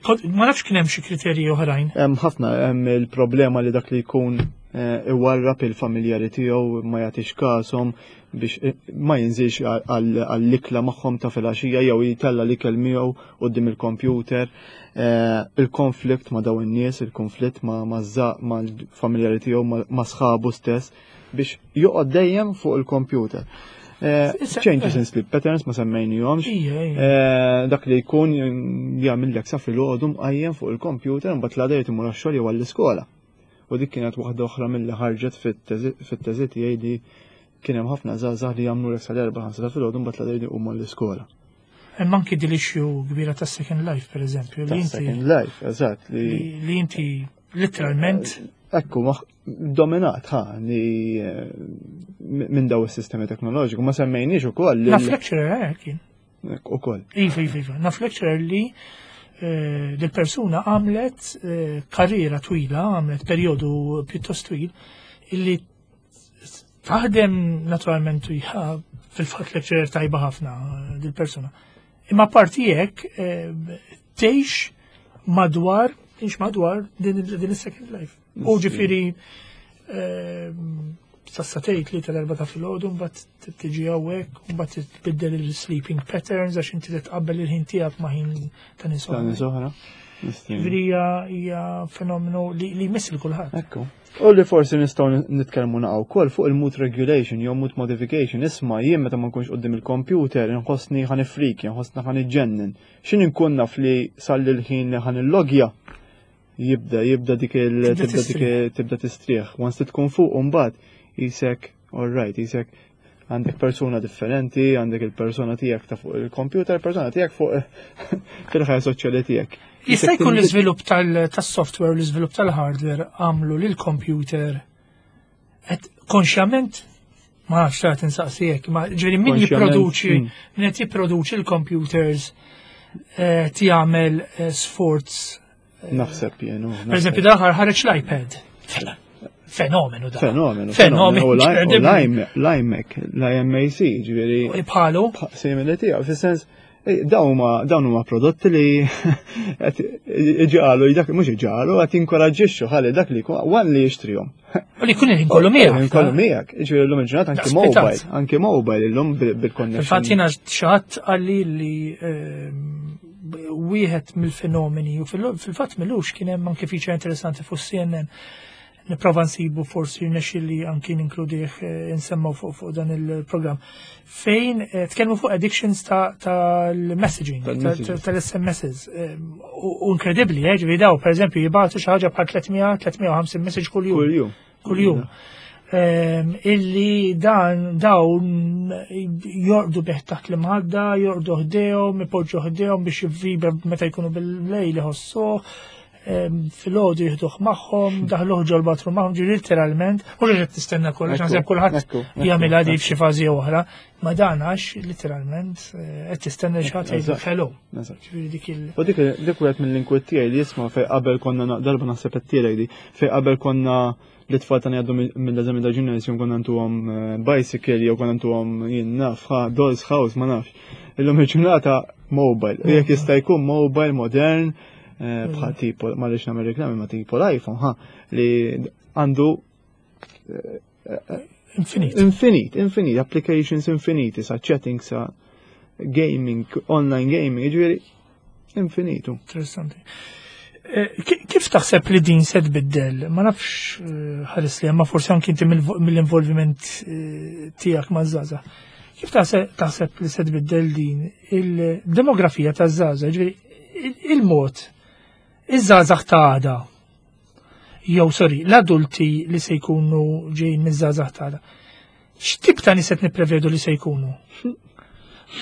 kont- Ma nafx kien hemm xi kriterji oħrajn. Hemm ħafna hemm il-problema li dak li jkun eh, iwarrab il-familjari tiegħu ma jagħtix kashom biex eh, ma jinżilx għall- għall-ikla magħhom ta' filgħaxija jew jitella l-ikel miegħu quddiem il-computer. Eh, Il-konflitt ma' dawn in-nies, il-konflitt ma' ma' mal-familjari tiegħu ma' ma' sħabu stess biex joqgħod dejjem fuq il-computer. Eh, Issa- Changes in sleep patterns ma semmejnihomx. Ija, ija. Eh, dak li jkun jagħmel sa filgħodu mqajjem fuq il-computer mbagħad l-għada jrid imur għax-xogħol jew għall-iskola. U dik kienet waħda oħra milli ħarġet fit-teżi tiegħi li kien hemm ħafna żgħażagħ li jagħmlu lek sal-erba' ħamsa ta' filgħodu mbagħad l-għada jridu għall-iskola. Hemm anki din l-issue kbira ta' Second Life, per eżempju, li Ta' inti Second Life, eżatt, li li li inti literalment ekku maħ dominat ħa li eh, minn daw is-sistemi teknoloġiku ma semmejniex ukoll li naf lecturer eh, kien. ukoll. Iva, iva, iva. Naf lecturer li eh, dil-persuna għamlet eh, karriera twila, għamlet periodu pjuttost twil, illi taħdem naturalment hija fil-fatt lecturer tajba ħafna eh, dil-persuna. Imma parti hekk eh, tgħix madwar, tgħix madwar din din is-second life. U ġifieri eh, sassatejt li tal-erba ta' filgħodu mbagħad tiġi hawnhekk, mbagħad tbiddel il-sleeping patterns għax inti titqabbel il-ħin tiegħek ma' ħin ta' nies Ta' oħra. nies oħra. Nistgħu. Ġifieri hija hija fenomenu li li jmiss lil kulħadd. Ekku. U li forsi nistgħu nitkellmu naqgħu wkoll fuq il-mood regulation jew mood modification. Isma' jien meta ma nkunx quddiem il-computer inħossni ħa nifrikja, nħossni ħa niġġennen. X'in inkun naf li salli l-ħin li ħa nillogja jibda jibda dik il Tibda tibda dik tistrieħ. tibda tistrieħ. Once li tkun fuq u mbagħad jisek all right, jisek għandek persuna differenti, għandek il-persona tiegħek ta' fuq il-computer, persona tiegħek fuq fil-ħajja soċjali tiegħek. Jista' Jisek jkun tinbidel. l-iżvilupp tal- tas-software u l-iżvilupp tal-hardware għamlu lil computer qed konxjament ma nafx ta' tinsaqsi hekk, ma ġifieri min Konxjament, jipproduċi mm. min qed jipproduċi l-computers eh, jagħmel eh, sforz. Naħseb jien. u Per eżempju, daħar ħareġ l-iPad. Fenomenu da. Fenomenu. Fenomenu. U incredible. l-iMac, l-iMac, ġifieri, Bħalu, simili tiegħu, fis-sens, eh, dawn huma dawn huma prodotti li qed iġalu, dak mhux iġalu, qed jinkoraġġixxu ħalli dak li jkun wan li jixtrihom. u li jkun il-ħin kollu miegħek. Kollu miegħek, ġifieri llum il-ġurnata anki Daqs mobile, anki mobile illum bil- bil-connection. Fil-fatt jiena xi ħadd qalli li ehm, wieħed mill-fenomeni u fil- fil-fatt m'ilux kien hemm anke feature interessanti fuq C N N. Nipprova nsibu, forsi li anki ninkludih eh, insemmaw fuq fuq dan il-programm. Fejn eh, tkellmu fuq addictions ta' tal-messaging, Tal-messages. tal-S M Ss. Ehm, U u inkredibbli, eh, ġifieri daw, per eżempju, jibagħtu xi ħaġa bħal tliet mija tliet mija u ħamsin message kull-jum. Kull-jum. Kull-jum. Ehm, illi dan dawn jorqdu bih taħt l-imħadda, jorqdu ħdejhom, ipoġġu ħdejhom biex jivvibra meta jkunu bil-lejl iħossuh, ehm, filgħodu jieħduh magħhom, daħluh ġol bathroom magħhom, ġi literalment, mhux qed tistenna kollox, Ekku, naħseb kulħadd ekku, ekku, jagħmilha di ekku. f'xi fażi oħra, ma dan għax literalment eh, qed tistenna xi ħadd jgħidu Eżatt. hello. Eżatt. Ġifieri dik il- U dik dik wieħed mill-inkwiet tiegħi li jisma' fej qabel konna na- darba naħseb qed tiegħek di fej qabel konna li tfal tagħna jgħaddu mill-eżami ta' gymnasium konna ntuhom eh, bicycle jew konna ntuhom jien naf ha doll's house, ma nafx. Illum il-ġurnata mobile. U jekk jista' jkun mobile modern eh, bħal tipo ma rridx nagħmel reklami ma tipo l-iPhone ha li għandu Infinit. infinite, infinite, applications infiniti, sa chatting, sa gaming, online gaming, jiġifieri infinitu. Interessanti. Eh, ki- Kif taħseb li din se tbiddel? Ma nafx eh, ħares li ma forsi anki inti mill- mill-involviment eh, tiegħek ma' żgħażagħ. Kif taħseb taħseb li se tbiddel din il-demografija ta' żgħażagħ, ġifieri il- il-mod iż-żgħażagħ ta' għada? Jew sorry, l-adulti li se jkunu ġejjin miż-żgħażagħ ta' għada. X'tip ta' nies qed nipprevedu li se jkunu?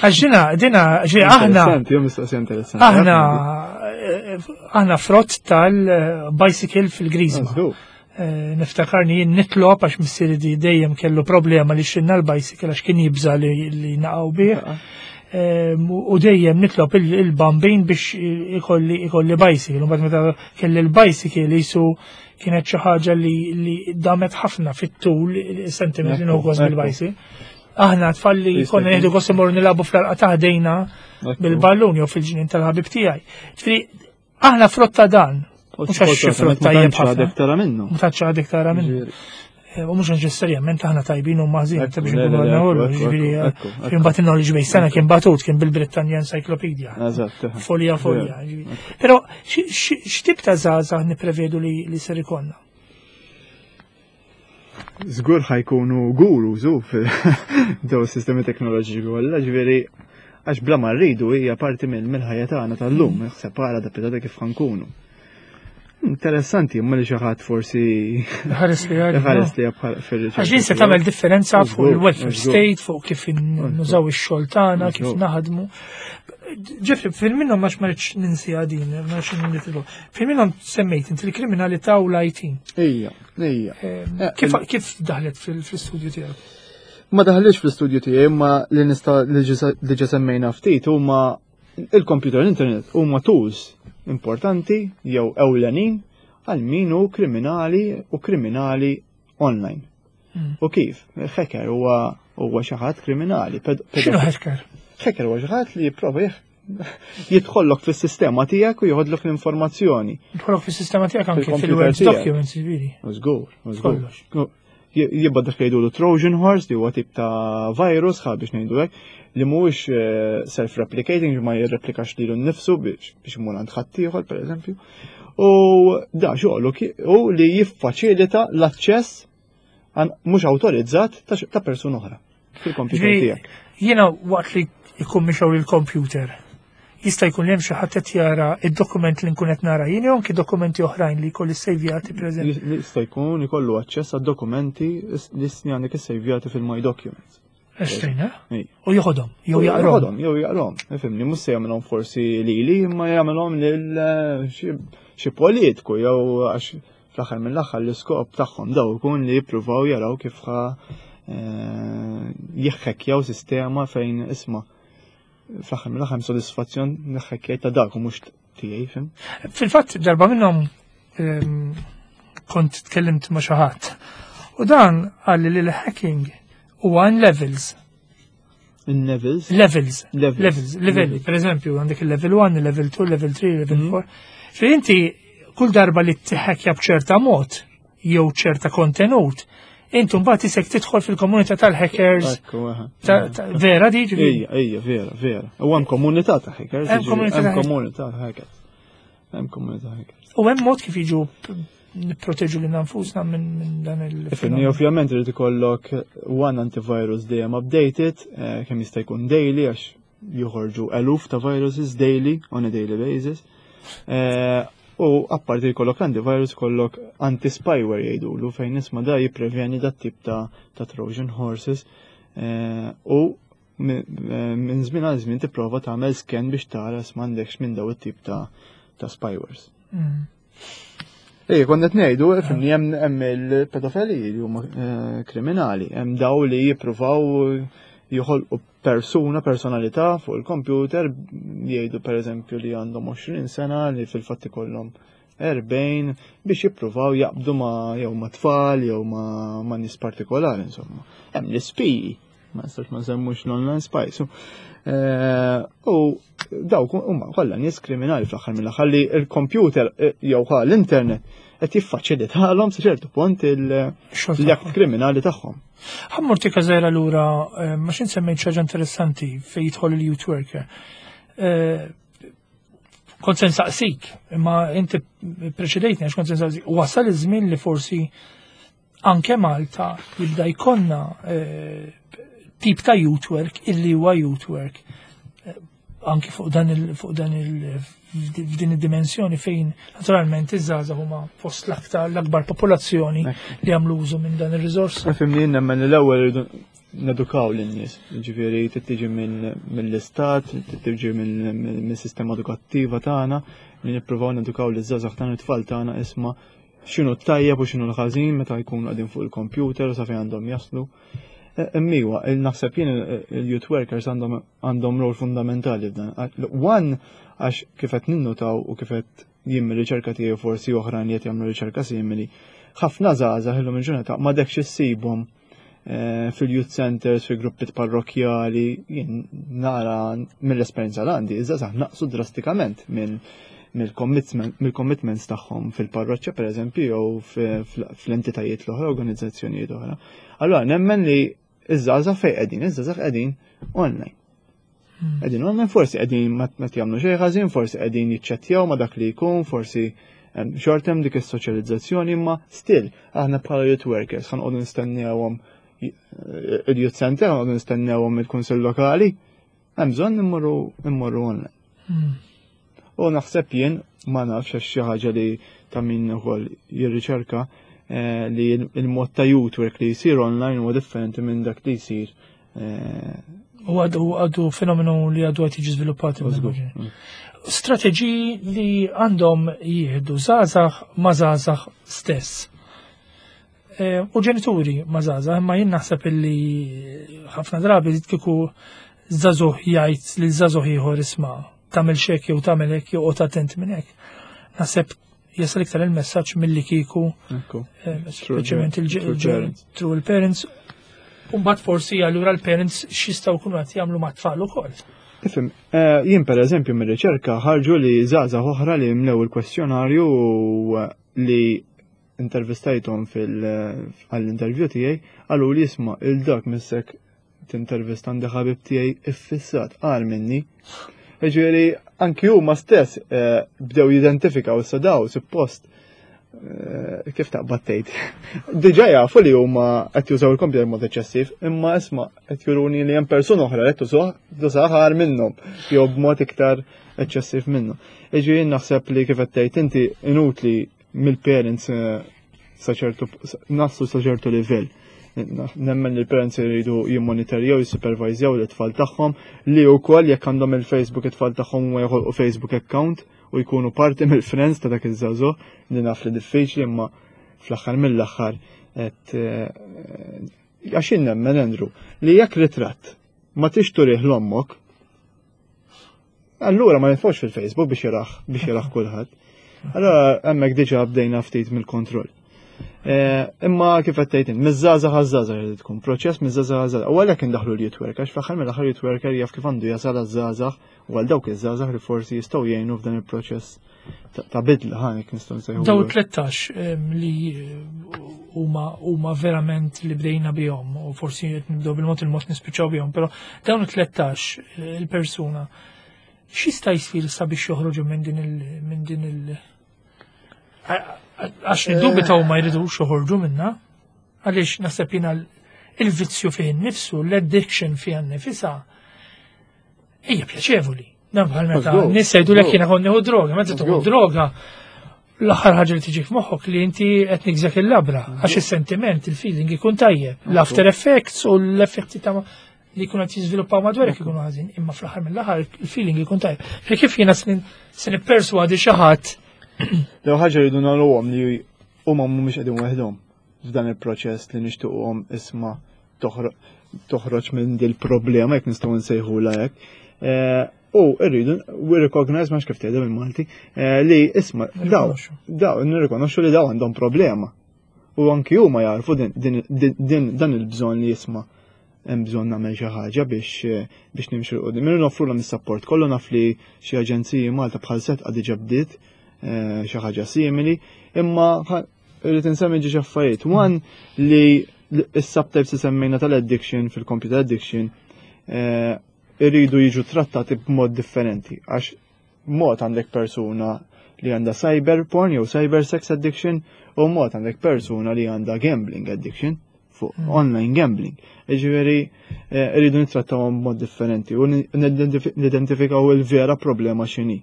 Għax dina, dina, ġi aħna. Interessanti, jew mistoqsija interessanti. Aħna eh, aħna frott tal-bicycle fil-Griżma. Żgur. Eh, niftakarni jien nitlob għax missieri di dejjem kellu problema li xtralna l-bicycle għax kien jibża li, li naqgħu bih. Em, U dejjem nitlob il- il-bambin biex ikolli ikolli bicycle. U mbagħad meta kelli l-bicycle jisu kienet xi ħaġa li, li damet ħafna fit-tul sentiment li Ekku, nieħu gost ekku. bil-bicycle. Aħna tfal li Jista' konna jkun. nieħdu gost imorru nilagħbu fl-għalqa ta' ħdejna Ekku. bil-ballun jew fil-ġnien tal-ħabib tiegħi. Ġifieri aħna frott ta' dan. U Mhux għax xi frott ma tajjeb tantx għadek ħafna. tara minnu. Ma tantx għadek tara minnu. Ġifieri. Eh, U mhux neċessarjament aħna tajbin u maħżin, Ekku, ta' biex le, nkunu le, għadna ekku, kollu, ekku, ġifieri, ekku, ekku. kien bat knowledge base sana kien batut, kien bil-Britannia Encyclopedia. Eżatt. eħe. Folja folja. ġifieri. Però xi- xi- x'tip ta' żgħażagħ nipprevedu li li ser ikollna? Żgur ħa jkunu gurus u daw sistemi teknoloġiċi kollha, ġifieri għax bla ma rridu hija parti mill mill-ħajja tagħna tal-lum, separa da pitata kif ħa nkunu. Interessanti, imma li xi ħadd forsi Ħares li għal. ħares li bħal fir-riċerka. Għax din se tagħmel differenza fuq Żgur, il-welfare żgur. state, fuq kif nużaw ix-xogħol tagħna, kif Żgur. naħdmu. Jeffrey, fil minnhom għax ma rridx ninsi din, ma rridx nitlu. Fil minnhom semmejt inti l-kriminalità u l-I T. Ija, ija. Eh, Kif il- kif daħlet fil- fil-studju tiegħek? Ma daħlix fl-istudju tiegħi, imma li nista' li ġa semmejna ftit huma il-computer, l-internet huma tools importanti jew ewlenin għal min hu kriminali u kriminali online. Mm. U kif? Hacker huwa huwa xi ħadd kriminali. ped- X'inhu hacker? Hacker huwa xi ħadd li jipprova jih- jidħollok fis-sistema tiegħek u joħodlok l-informazzjoni. Jidħolok fis-sistema tiegħek anke Fil-computer fil-Word tiegħek. documents, ġifieri. U żgur, u żgur. Kollox. Jibba dak li jgħidulu Trojan horse, li huwa tip ta' virus, ħa biex ngħidu hekk, li mhuwiex eh, self-replicating, ma jirreplikax lilu nnifsu biex biex imur għand ħaddieħor, pereżempju. U da xogħlu ki- u li jiffaċilita l-aċċess għan mhux awtorizzat ta' x- ta' persuna oħra fil-computer Ġifieri, tiegħek. jiena waqt li jkun mixgħul il-computer, jista' jkun li hemm xi ħadd qed jara id-dokument li nkun qed nara jien jew anki dokumenti oħrajn li jkolli sejvjati, pereżempju. Jista' jkun ikollu aċċess għad dokumenti li għandek issejvjati fil-My Documents. Estrina? Ej. U joħodhom, jew jaqrom. Joħodhom, jew jaqrom. Ifhimni, mhux se jagħmilhom forsi lili, imma jagħmilhom lil eh, xi- xi politiku jew għax fl-aħħar mill-aħħar l-iskop tagħhom daw ikun li jippruvaw jaraw kif ħa eh, jiħħekkjaw sistema fejn isma' fl-aħħar mill-aħħar sodisfazzjon neħħekkjaj ta' dak u mhux tiegħi, fim. Fil-fatt darba minnhom ehm, kont tkellimt ma' xi ħadd. U dan qalli li l-hacking huwa in levels. In levels. Levels. Levels. Levels, livelli. Per eżempju, għandek il-level wieħed, il-level tnejn, level tlieta, level Mhm. erba'. Fejn inti kull darba li tiħekja b'ċerta mod jew ċerta kontenut, intu mbagħad isek tidħol fil-komunità tal-hackers. Ekku, aha. ta- ta- Vera di, ġifieri? Ija, ija, vera, vera. U hemm komunità ta' hackers. Hemm ġifieri, komunità ta' Hemm hackers. komunità ta' hackers. Hemm komunità hackers. U hemm mod kif jiġu p- nipproteġu lil nfusna minn minn dan il Ifhimni, ovvjament irid ikollok one antivirus dejjem updated, eh, kemm jista' jkun daily għax joħorġu eluf ta' viruses daily on a daily basis. Eh, U apparti jkollok antivirus kollok anti-spyware jgħidulu fejn isma' da jippreveni dat tip ta' ta' Trojan horses. Eh, U mi- eh, minn żmien għal żmien tipprova tagħmel scan biex tara s'għandekx minn daw it-tip ta' ta' spywares. Mm. Ej, konna qed ngħidu, fimni, hemm hemm il-pedofili li huma eh, kriminali, hemm daw li jippruvaw joħolqu persuna, personalità fuq il-computer, jgħidu pereżempju li għandhom għoxrin sena li fil-fatt ikollhom erbgħin biex jippruvaw jaqbdu ma jew ma tfal jew ma ma nies partikolari insomma. Hemm l-ispiji, ma nistax ma semmux l-online spies. Eh, U dawk huma kollha nies kriminali fl-aħħar mill-aħħar li l-computer eh, jew ħa l-internet qed jiffaċilitalhom sa ċertu punt il- Xogħol l-att tagħhom. kriminali tagħhom. Ħa mmur tikka żgħira lura, eh, ma xin semmejt xi ħaġa interessanti fejn jidħol il-youth worker. Eh, Kont se nsaqsik, imma inti preċedejtni għax kont se nsaqsik. Wasal iż-żmien li forsi anke Malta jibda jkollna eh, tip ta' youth work illi huwa youth work eh, anke fuq dan il fuq dan il f'din id-dimensjoni fejn naturalment iż-żgħażagħ huma fost l-aktar l-akbar popolazzjoni li jagħmlu użu minn dan ir-riżors. Fimni, nemmen li l-ewwel irridu nedukaw lin-nies. Ġifieri trid tiġi mill-istat, trid tiġi mill-sistema edukattiva tagħna li nippruvaw nedukaw liż-żgħażagħ tagħna, it-tfal tagħna, isma' x'inhu tajjeb u x'inhu l-ħażin meta jkunu qegħdin fuq il-computer u sa fejn għandhom jaslu. Imma naħseb jien il-youth workers għandhom rol fundamentali f'dan. One, għax kif qed ninnutaw u kif qed jien mir-riċerka tiegħi, forsi oħrajn li qed jagħmlu riċerka simili, ħafna żgħażagħ illum il-ġurnata ma dekx issibhom eh, fil-youth centers, fil-gruppi parrokjali. Jien nara mill-esperjenza l għandi, iż-żgħażagħ naqsu drastikament minn mill-commitments tagħhom fil-parroċċa, per eżempju, jew fl-entitajiet l-oħra, organizzazzjonijiet oħra. Allora nemmen li iż-żgħażagħ fejn qegħdin? Iż-żgħażagħ qegħdin online. Hmm. Qegħdin online, forsi qegħdin ma jagħmlu xejn ħażin, forsi qegħdin jiċċettjaw ma dak li jkun, forsi xorta hemm dik is-soċjalizzazzjoni, imma still aħna bħala youth workers ħa noqogħdu nistennewhom il-youth center, ħa noqogħdu nistennewhom il-kunsill lokali, hemm bżonn immorru immorru online. Hmm. U naħseb jien, ma nafx, għax xi ħaġa li ta' min ukoll jirriċerka, eh, li il-mod ta' youth work li jsir online huwa differenti minn dak li jsir eh, U għadu għadu fenomenu li għadu qed jiġi żviluppat. Mm. Strateġiji li għandhom jieħdu żgħażagħ ma' żgħażagħ stess. Eh, u ġenituri ma' żgħażagħ, imma jien naħseb illi ħafna drabi kieku żagħżugħ jgħid li żagħżugħ ieħor, "Isma', tagħmel hekk jew tagħmel hekk jew oqgħod attent minn hekk." Naħseb jasal iktar il-messaġġ milli kieku eh, speċjalment il-through il-parents. Umbagħad forsi allura l-parents x'jistgħu jkunu qed jagħmlu mat-tfal ukoll. Ifhem, eh, jien per eżempju mir-riċerka ħarġu li żgħażagħ oħra li mlew il-kwestjonarju li intervistajthom fil-intervju tiegħi qalu li, "Isma', lil dak missek tintervista, għandi ħabib tiegħi iffissat agħar minni." Ġifieri anki huma stess eh, bdew jidentifikaw issa daw suppost eh, kif taqbad tgħid. Diġà jafu li huma qed jużaw il-computer mod eċċessiv, imma isma', qed juruni li hemm persuna oħra qed tużah agħar minnhom jew b'mod iktar eċċessiv minnhom. Ġifieri naħseb li kif qed tgħid inti, inutli mill-parents eh, sa ċertu naslu sa ċertu livell. Nemmen li l-parents jridu jimmonitorjaw, jissupervizjaw l-tfal tagħhom, li wkoll jekk għandhom il-Facebook it-tfal tagħhom u joħolqu Facebook account u jkunu parti mill-friends ta' dak iż-żagħżugħ, li naf li diffiċli, imma fl-aħħar mill-aħħar qed eh, għax nemmen, Andrew, li jekk ritratt ma tix turih l-ommok, allura ma nitfgħux fil-Facebook biex jarah biex jarah kulħadd. Allora hemmhekk diġà bdejna ftit mill-kontroll. Eh, imma kif qed tgħid, miż-żgħażagħ għaż-żgħażagħ irid tkun proċess miż-żgħażagħ għaż-żgħażagħ. U għalhekk indaħlu l-youth worker, għax fl-aħħar mill-aħħar youth worker jaf kif għandu jasal għaż-żgħażagħ u għal dawk iż-żgħażagħ li forsi jistgħu jgħinu f'dan il-proċess ta' bidla ħa nek nistgħu nsejħu. Daw tlettax li huma huma verament li bdejna bihom u forsi qed nibdew bil-mod il-mod nispiċċaw bihom, però dawn it-tlettax il-persuna x'jista' jsir sabiex joħroġu minn din il minn din il għax niddubitaw ma jridux joħorġu minna, għaliex naħseb jiena il-vizzju fih nifsu, l-addiction fih nifisha hija pjaċevoli. Dan bħal meta nies jgħidulek, "Jiena kont nieħu droga." Meta tieħu droga, l-aħħar ħaġa li tiġi f'moħħok li inti qed nigżek il-labra, għax is-sentiment, il-feeling ikun tajjeb. L-after effects u l-effetti ta' li jkunu qed jiżviluppaw madwarek ikunu ħażin, imma fl-aħħar mill-aħħar il-feeling ikun tajjeb. Fi kif jiena se nipperswadi xi ħadd? L ħaġa rridu nagħmluhom li huma mhumiex qegħdin waħedhom f'dan il-proċess li nixtiequhom, isma', toħroġ minn dil problema, jekk nistgħu nsejħula hekk. Eh, u rridu we recognize, ma kif tgħidha bil-Malti, eh, li isma', daw daw nirrikonoxxu li daw għandhom problema. U anki huma jarfu din dan il-bżonn li, isma', hemm bżonn nagħmel xi ħaġa biex biex nimxu 'l quddiem. Irridu noffrulhom is-support kollu. Naf li xi aġenziji Malta bħal Sedqa diġà bdiet eh, xi ħaġa simili, imma irrid insemmi ġiex affarijiet. One, li is-subtypes li semmejna tal-addiction fil-computer addiction eh, irridu jiġu trattati b'mod differenti, għax mod għandek persuna li għandha cyber porn jew cyber sex addiction u mod għandek persuna li għandha gambling addiction fuq mm. online gambling. Ġifieri eh, irridu nittrattawhom b'mod differenti u nidentifikaw il-vera problema x'inhi.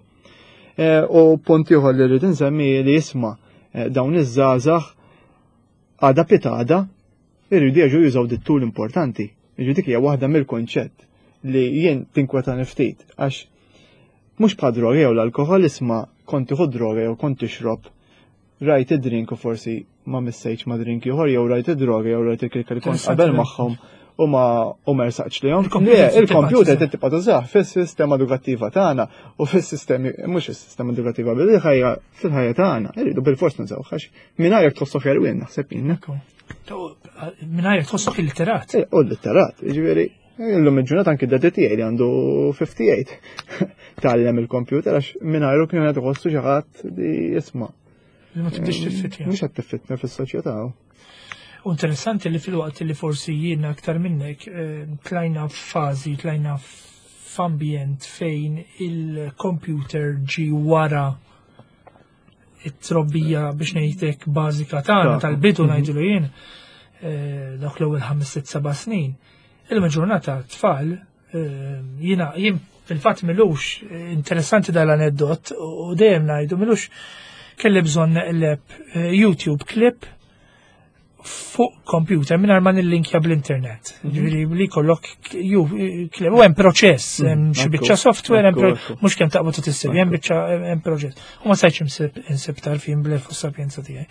Eh, u punt ieħor li rrid insemmi li, isma', eh, dawn iż-żgħażagħ għada pitgħada irridu jerġgħu jużaw dit-tool importanti. Ġifieri dik hija waħda mill-konċett li jien tinkweta ftit, għax mhux bħal droga jew l-alkohol, isma', kont tieħu droga jew kont tixrob Rajt id-drink u forsi ma missejtx ma drink ieħor, jew rajt id-droga, jew rajt il-klikka li kont qabel magħhom u ma u ma rsaqx lihom. Le, il-computer tibqa' tużah fis-sistema edukattiva tagħna u fis-sistemi, mhux is-sistema edukattiva, bil-ħajja, fil-ħajja tagħna. Irridu bil-fors nużaw għax mingħajr tħossok jerwien, naħseb jien. Mingħajr tħossok illiterat. U litterat, jiġifieri illum il-ġurnata anki d-daddy tiegħi li għandu ħamsa u ħamsin tgħallem il-computer għax mingħajru kien qed iħossu xi ħadd li jisma'. Li ma tibdix tiffitja. Mhux qed tiffitna fis-soċjetà. U interessanti li fil-waqt li forsi jiena aktar minnek eh, tlajna f'fażi, tlajna f'ambjent fejn il-computer ġi wara it-trobbija, biex ngħidlek, bażika tagħna tal-bidu, mhm. ngħidlu jien, eh, dawk l-ewwel ħames, sitt, seba' snin. Illum ġurnata tfal, eh, jiena jien fil-fatt m'ilux, interessanti dal-aneddot u dejjem ngħidu, m'ilux kelli bżonn neqleb YouTube clip fuq computer mingħajr ma nillinkja bl-internet. Mhm. Ġifieri li kollok ju clip, u hemm proċess, mhm. hemm xi biċċa software, hemm mhux kemm taqbad u tissib, hemm biċċa, hemm proċess. U ma stajtx insib insib tarfin bl-għerf u s-sapjenza tiegħi.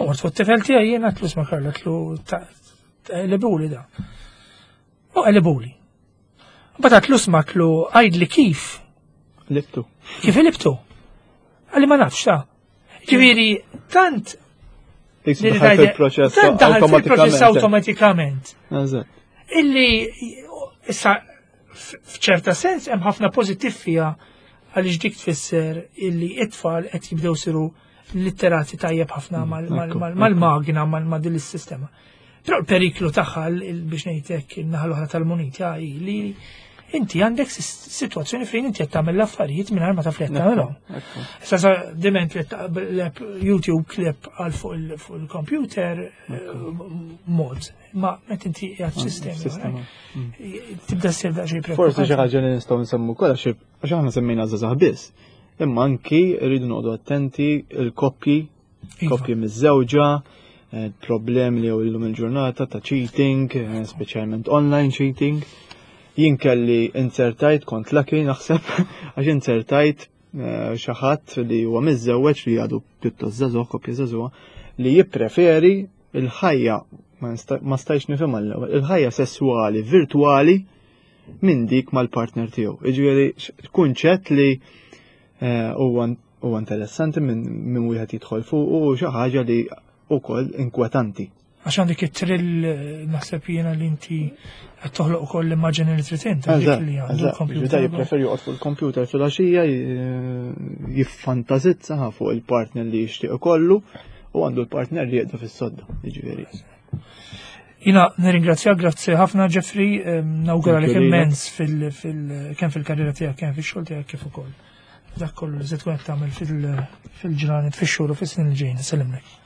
U mort fuq it-tifel tiegħi jiena, għedtlu, "Isma' Karla," għedtlu, "qlibhuli da." U qelibhuli. Mbagħad għedtlu, "Isma'," għedtlu, "għidli kif." Qlibtu. Kif qlibtu? Qalli, "Ma nafx ta'." Ġifieri tant Daħal fil-proċess. Daħal fil-proċess awtomatikament. Illi issa f'ċerta sens hemm ħafna pożittiv fiha għaliex dik tfisser illi it-tfal qed jibdew siru litterati tajjeb ħafna mm, mal-magna, mal din is-sistema. Però l-periklu tagħha, biex ngħidlek, in-naħa l-oħra tal-munita hi li inti għandek situazzjoni fejn inti qed tagħmel l-affarijiet mingħajr ma taf li qed tagħmelhom. Issa sa diment li taqleb YouTube clip għal fuq il-computer eh, mod, ma meta inti qiegħed sistemi. Sistema. Mm. Tibda ssir daqsxejn. Forsi xi ħaġa li nistgħu nsemmu wkoll, għax għax aħna semmejna żgħażagħ biss. Imma anki rridu noqogħdu attenti il-koppji, Iva. koppji miż-żewġa, eh, problemi li illum il-ġurnata ta' cheating, eh, speċjalment online cheating. Jien kelli inzertajt, kont lucky naħseb, għax inzertajt eh, xi ħadd li huwa miżżewweġ li għadu pjuttost żagħżugħ, koppja żagħżugħa, li jippreferi il-ħajja, ma nista- ma stajx nifhimha l-ewwel, il-ħajja sessuali virtuali minn dik mal-partner tiegħu. Jiġifieri x- kunċett li eh, huwa huwa interessanti minn min wieħed jidħol fuq u xi ħaġa li wkoll inkwetanti. Għax għandek it-trill, eh, naħseb jiena li inti qed toħloq ukoll l-immaġini li trid int, dik li għandu Eżatt, l-computer. Jippreferi joqgħod fuq il-computer filgħaxija jiffantazizza fuq il-partner li jixtieq ikollu u għandu l-partner li jieqdu fis-sodda, jiġifieri. Jiena nirringrazzjak, grazzi ħafna Jeffrey, em, nawgura Thank lek you lilek. immens fil, fil, kemm fil-karriera tiegħek, kemm fix-xogħol tiegħek, kif ukoll dak kollu li se tkun qed tagħmel fil- fil-ġranet, fix-xhur u fis-snin li ġejjin. Sellimlek.